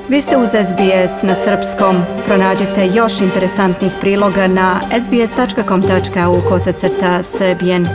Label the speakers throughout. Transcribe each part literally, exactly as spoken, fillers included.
Speaker 1: Vi ste uz S B S na srpskom. Pronađite još interesantnih priloga na sbs.com.au kosacrta srbijen.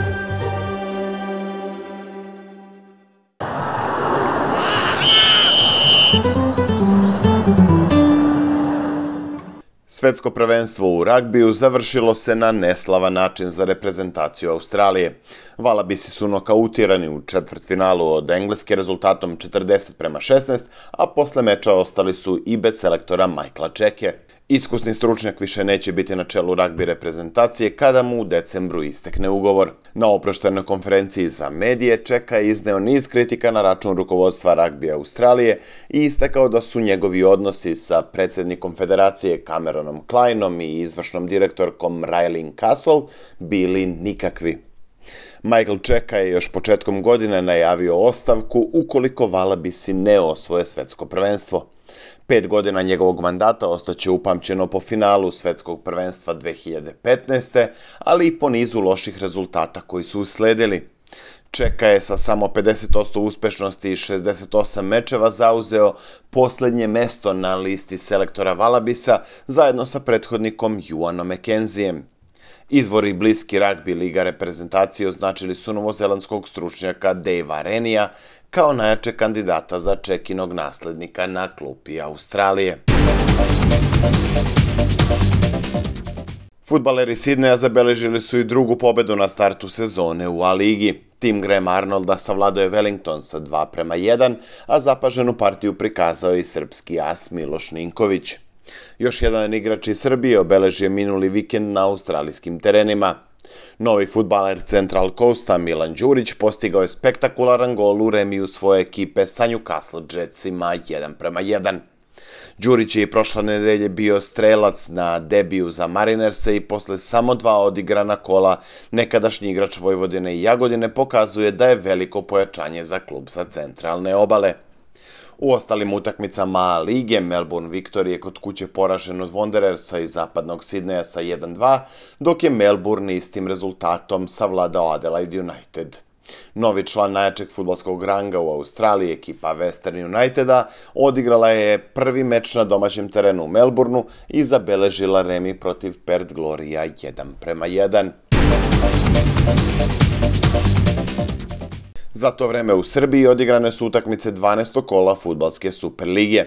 Speaker 2: Svetsko prvenstvo u ragbiju završilo se na neslavan način za reprezentaciju Australije. Valabisi su nokautirani u četvrtfinalu od Engleske rezultatom četrdeset prema šesnaest, a posle meča ostali su i bez selektora Michaela Cheeke. Iskusni stručnjak više neće biti na čelu ragbi reprezentacije kada mu u decembru istekne ugovor. Na oproštenoj konferenciji za medije Cheeka je izneo niz kritika na račun rukovodstva ragbija Australije i istakao da su njegovi odnosi sa predsjednikom federacije Cameronom Kleinom i izvršnom direktorkom Raelyn Castle bili nikakvi. Michael Cheeka je još početkom godine najavio ostavku ukoliko Valabisi ne osvoje svetsko prvenstvo. Pet godina njegovog mandata ostaće upamćeno po finalu svetskog prvenstva dve hiljade petnaeste. ali i po nizu loših rezultata koji su usledili. Cheeka je sa samo pedeset posto uspešnosti i šezdeset osam mečeva zauzeo posljednje mesto na listi selektora Valabisa zajedno sa prethodnikom Juanom McKenzijem. Izvori bliski ragbi liga reprezentacije označili su novozelandskog stručnjaka Davea Renija kao najjačeg kandidata za Cheekinog naslednika na klupi Australije. Fudbaleri Sidneja zabeležili su i drugu pobedu na startu sezone u A-ligi. Tim Graham Arnolda savladao je Wellington sa dva prema jedan, a zapaženu partiju prikazao i srpski as Miloš Ninković. Još jedan igrač iz Srbije obeležio minuli vikend na australijskim terenima. Novi fudbaler Central Coasta Milan Đurić postigao je spektakularan gol u remiju svoje ekipe sa Newcastle Jetsima jedan prema jedan. Đurić je i prošle nedelje bio strelac na debiju za Marinerse i posle samo dva odigrana kola nekadašnji igrač Vojvodine i Jagodine pokazuje da je veliko pojačanje za klub sa centralne obale. U ostalim utakmicama lige Melbourne Victory je kod kuće poražen od Wanderersa iz zapadnog Sidneja sa jedan dva, dok je Melbourne istim rezultatom savladao Adelaide United. Novi član najjačeg fudbalskog ranga u Australiji, ekipa Western Uniteda, odigrala je prvi meč na domaćem terenu u Melbourneu i zabeležila remi protiv Perth Gloria jedan prema jedan. Za to vreme u Srbiji odigrane su utakmice dvanaestog kola fudbalske Superlige.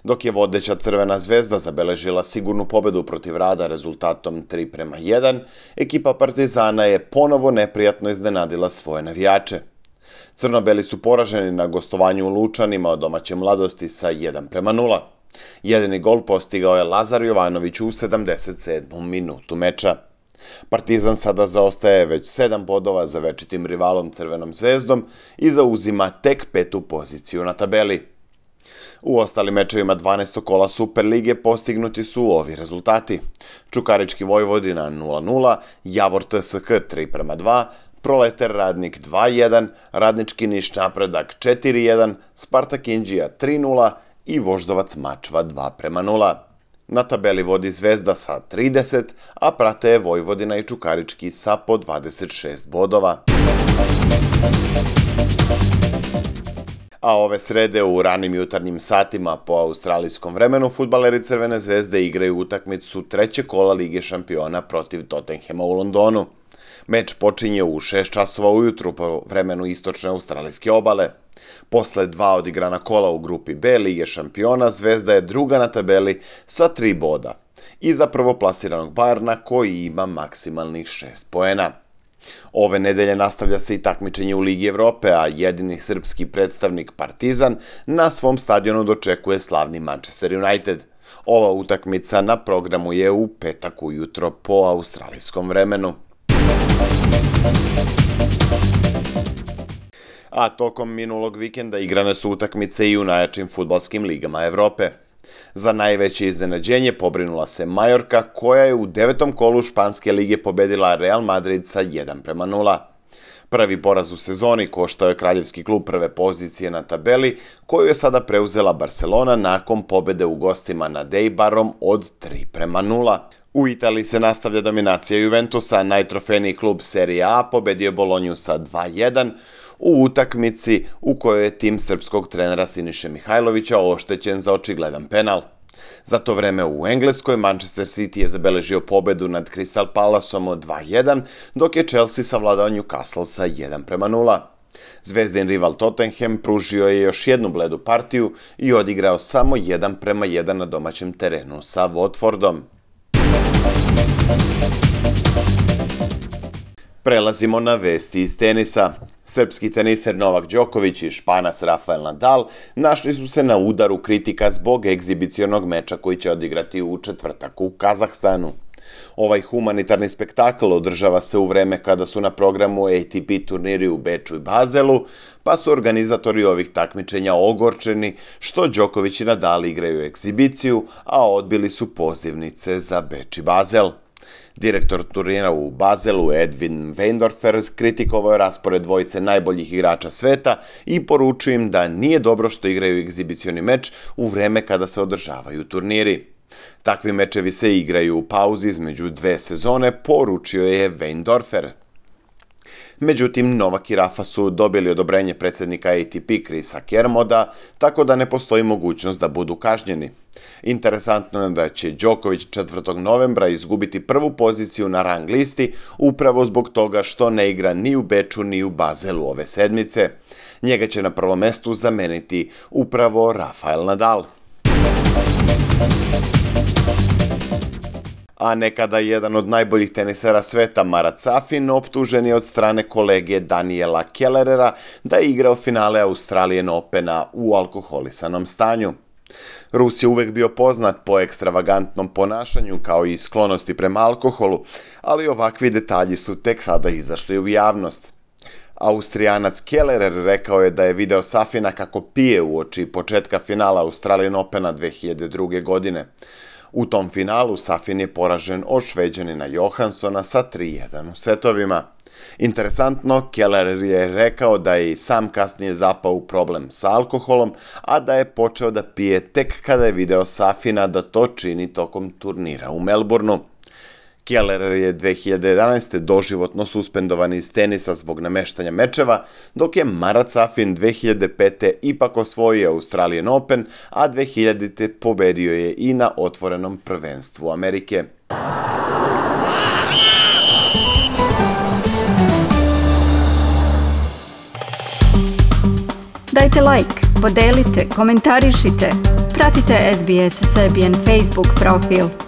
Speaker 2: Dok je vodeća Crvena zvezda zabeležila sigurnu pobedu protiv Rada rezultatom tri prema jedan, ekipa Partizana je ponovo neprijatno iznenadila svoje navijače. Crnobeli su poraženi na gostovanju u Lučanima od domaće Mladosti sa jedan prema nula. Jedini gol postigao je Lazar Jovanović u sedamdeset sedmom minutu meča. Partizan sada zaostaje već sedam bodova za večitim rivalom Crvenom zvezdom i zauzima tek petu poziciju na tabeli. U ostalim mečevima dvanaestog kola Superlige postignuti su ovi rezultati. Čukarički Vojvodina nula nula, Javor T S K tri prema dva, Proleter Radnik dva jedan, Radnički Niš Napredak četiri jedan, Spartak Inđija tri nula i Voždovac Mačva dva prema nula. Na tabeli vodi Zvezda sa trideset, a prate je Vojvodina i Čukarički sa po dvadeset šest bodova. A ove srede u ranim jutarnjim satima po australijskom vremenu fudbaleri Crvene zvezde igraju utakmicu trećeg kola Lige šampiona protiv Tottenhama u Londonu. Meč počinje u šest časova ujutru po vremenu istočne australijske obale. Posle dva odigrana kola u grupi B Lige šampiona, Zvezda je druga na tabeli sa tri boda. Iza prvoplasiranog Bayerna koji ima maksimalnih šest poena. Ove nedelje nastavlja se i takmičenje u Ligi Evrope, a jedini srpski predstavnik Partizan na svom stadionu dočekuje slavni Manchester United. Ova utakmica na programu je u petak ujutro po australijskom vremenu. A tokom minulog vikenda igrane su utakmice i u najjačim fudbalskim ligama Evrope. Za najveće iznenađenje pobrinula se Majorka, koja je u devetom kolu Španske lige pobedila Real Madrid sa jedan prema nula. Prvi poraz u sezoni koštao je kraljevski klub prve pozicije na tabeli, koju je sada preuzela Barcelona nakon pobede u gostima nad Eibarom od tri prema nula. U Italiji se nastavlja dominacija Juventusa, najtrofejniji klub Serie A pobedio Bolonju sa dva jedan, u utakmici u kojoj je tim srpskog trenera Siniše Mihajlovića oštećen za očigledan penal. Za to vreme u Engleskoj Manchester City je zabeležio pobedu nad Crystal Palaceom od dva jedan, dok je Chelsea savladao Newcastle sa jedan prema nula. Zvezdin rival Tottenham pružio je još jednu bledu partiju i odigrao samo jedan prema jedan na domaćem terenu sa Watfordom. Prelazimo na vesti iz tenisa. Srpski teniser Novak Đoković i Španac Rafael Nadal našli su se na udaru kritika zbog egzibicionog meča koji će odigrati u četvrtak u Kazahstanu. Ovaj humanitarni spektakl održava se u vreme kada su na programu A T P turniri u Beču i Bazelu, pa su organizatori ovih takmičenja ogorčeni što Đoković i Nadal igraju egzibiciju, a odbili su pozivnice za Beč i Bazel. Direktor turnira u Bazelu Edwin Weindorfer kritikovao je raspored dvojice najboljih igrača sveta i poručio im da nije dobro što igraju egzibicioni meč u vreme kada se održavaju turniri. Takvi mečevi se igraju u pauzi između dve sezone, poručio je Weindorfer. Međutim, Novak i Rafa su dobili odobrenje predsjednika A T P Chrisa Kermoda, tako da ne postoji mogućnost da budu kažnjeni. Interesantno je da će Đoković četvrtog novembra izgubiti prvu poziciju na rang listi upravo zbog toga što ne igra ni u Beču ni u Bazelu ove sedmice. Njega će na prvom mestu zameniti upravo Rafael Nadal. A nekada jedan od najboljih tenisera sveta Marat Safin optužen je od strane kolege Daniela Kellerera da je igrao finale Australian Opena u alkoholisanom stanju. Rus je uvek bio poznat po ekstravagantnom ponašanju kao i sklonosti prema alkoholu, ali ovakvi detalji su tek sada izašli u javnost. Austrijanac Kellerer rekao je da je video Safina kako pije uoči početka finala Australian Opena dve hiljade druge. godine. U tom finalu Safin je poražen od Šveđanina Johanssona sa tri jedan u setovima. Interesantno, Kellerer je rekao da je i sam kasnije zapao u problem sa alkoholom, a da je počeo da pije tek kada je video Safina da to čini tokom turnira u Melbourneu. Kellerer je dve hiljade jedanaeste. doživotno suspendovan iz tenisa zbog nameštanja mečeva, dok je Marat Safin dve hiljade pete. ipak osvojio Australian Open, a dve hiljadite. pobedio je i na otvorenom prvenstvu Amerike.
Speaker 1: Dajte like, podelite, komentarišite. Pratite S B S Serbian Facebook profil.